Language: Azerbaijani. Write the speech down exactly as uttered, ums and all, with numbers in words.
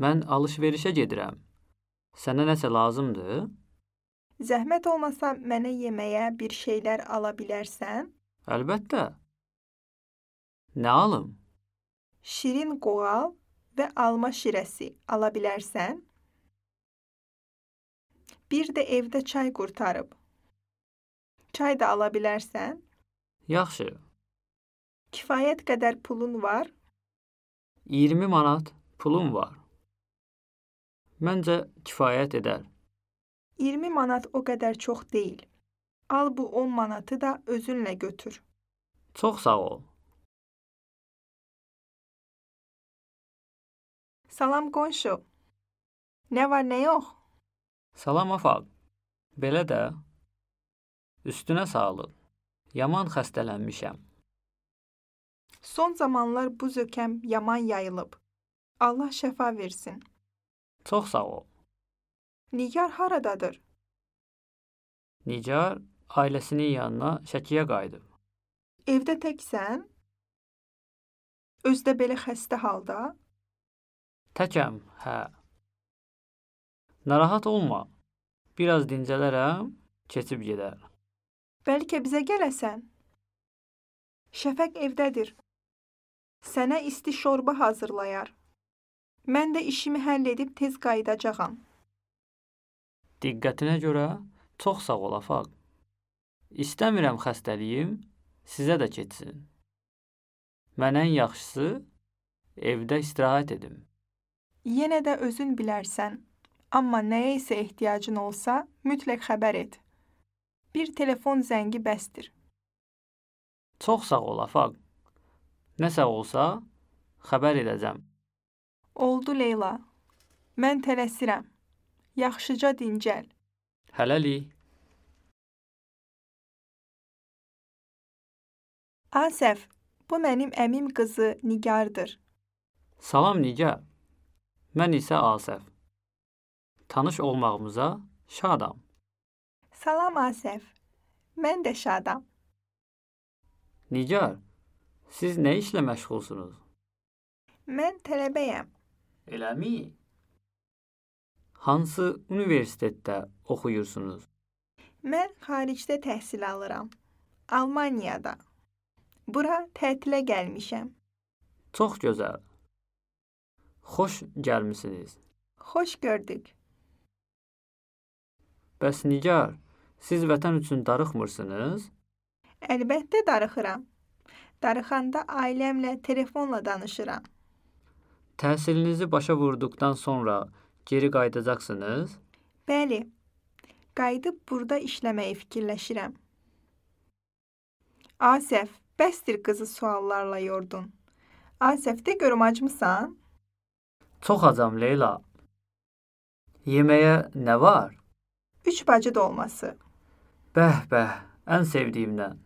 Mən alış-verişə gedirəm. Sənə nəsə lazımdır? Zəhmət olmasa mənə yeməyə bir şeylər ala bilərsən? Əlbəttə. Nə alım? Şirin qoğal və alma şirəsi ala bilərsən? Bir də evdə çay qurtarıb. Çay da ala bilərsən? Yaxşı. Kifayət qədər pulun var? iyirmi manat pulum var. Məncə kifayət edər. iyirmi manat o qədər çox deyil. Al bu on manatı da özünlə götür. Çox sağ ol. Salam qonşu. Nə var, nə yox? Salam afaq. Belə də. Üstünə sağlıq. Yaman xəstələnmişəm. Son zamanlar bu zökəm yaman yayılıb. Allah şəfa versin. Çox sağ ol. Nigar haradadır? Nigar ailəsinin yanına Şəkiyə qayıdıb. Evdə təksən? Özdə belə xəstə halda? Təkəm, hə. Narahat olma. Biraz dincələrəm, keçib gedər. Bəlkə bizə gələsən? Şəfəq evdədir. Sənə isti şorba hazırlayar. Mən də işimi həll edib tez qayıdacağam. Diqqətinə görə çox sağ ol afaq. İstəmirəm xəstəliyim sizə də keçsin. Mən ən yaxşısı evdə istirahət edim. Yenə də özün bilərsən. Amma nəyə isə ehtiyacın olsa, mütləq xəbər et. Bir telefon zəngi bəsdir. Çox sağ ol afaq. Nəsə olsa xəbər edəcəm. Oldu Leyla. Mən tələsirəm. Yaxşıca dincəl. Hələlik. Asəf, bu mənim əmim qızı Nigardır. Salam Nigar. Mən isə Asəf. Tanış olmağımıza şadam. Salam Asəf. Mən də şadam. Nigar, siz nə işlə məşğulsunuz? Mən tələbəyəm. Eləmi? Hansı universitetdə oxuyursunuz? Mən xaricdə təhsil alıram. Almaniyada. Bura tətilə gəlmişəm. Çox gözəl. Xoş gəlmisiniz. Xoş gördük. Bəs Nigar, siz vətən üçün darıxmırsınız? Əlbəttə darıxıram. Darıxanda ailəmlə telefonla danışıram. Təhsilinizi başa vurduqdan sonra geri qayıdacaqsınız? Bəli. Qayıdıb burada işləməyi fikirləşirəm. Asəf, bəsdir qızı suallarla yordun. Asəf, de görüm acmısan? Çox acam Leyla. Yeməyə nə var? Üç bacı dolması. Bəh, bəh, ən sevdiyimdən.